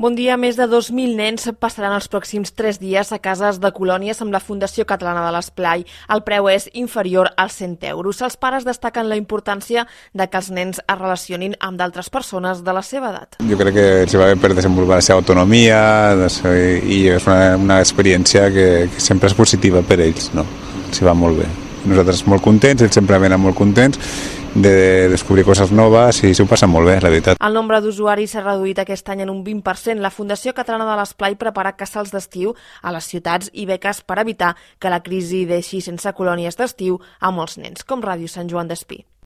Bon dia. Més de 2.000 nens passaran els pròxims 3 dies a cases de colònies amb la Fundació Catalana de l'Esplai. El preu és inferior als 100 euros. Els pares destaquen la importància de que els nens es relacionin amb d'altres persones de la seva edat. Jo crec que els va bé per desenvolupar la seva autonomia i és una experiència que sempre és positiva per ells, no? Els va molt bé. Nosaltres molt contents, ells sempre venen molt contents de descobrir coses noves i s'ho passen molt bé, la veritat. El nombre d'usuaris s'ha reduït aquest any en un 20%. La Fundació Catalana de l'Esplai prepara casals d'estiu a les ciutats i beques per evitar que la crisi deixi sense colònies d'estiu a molts nens, com Ràdio Sant Joan d'Espí.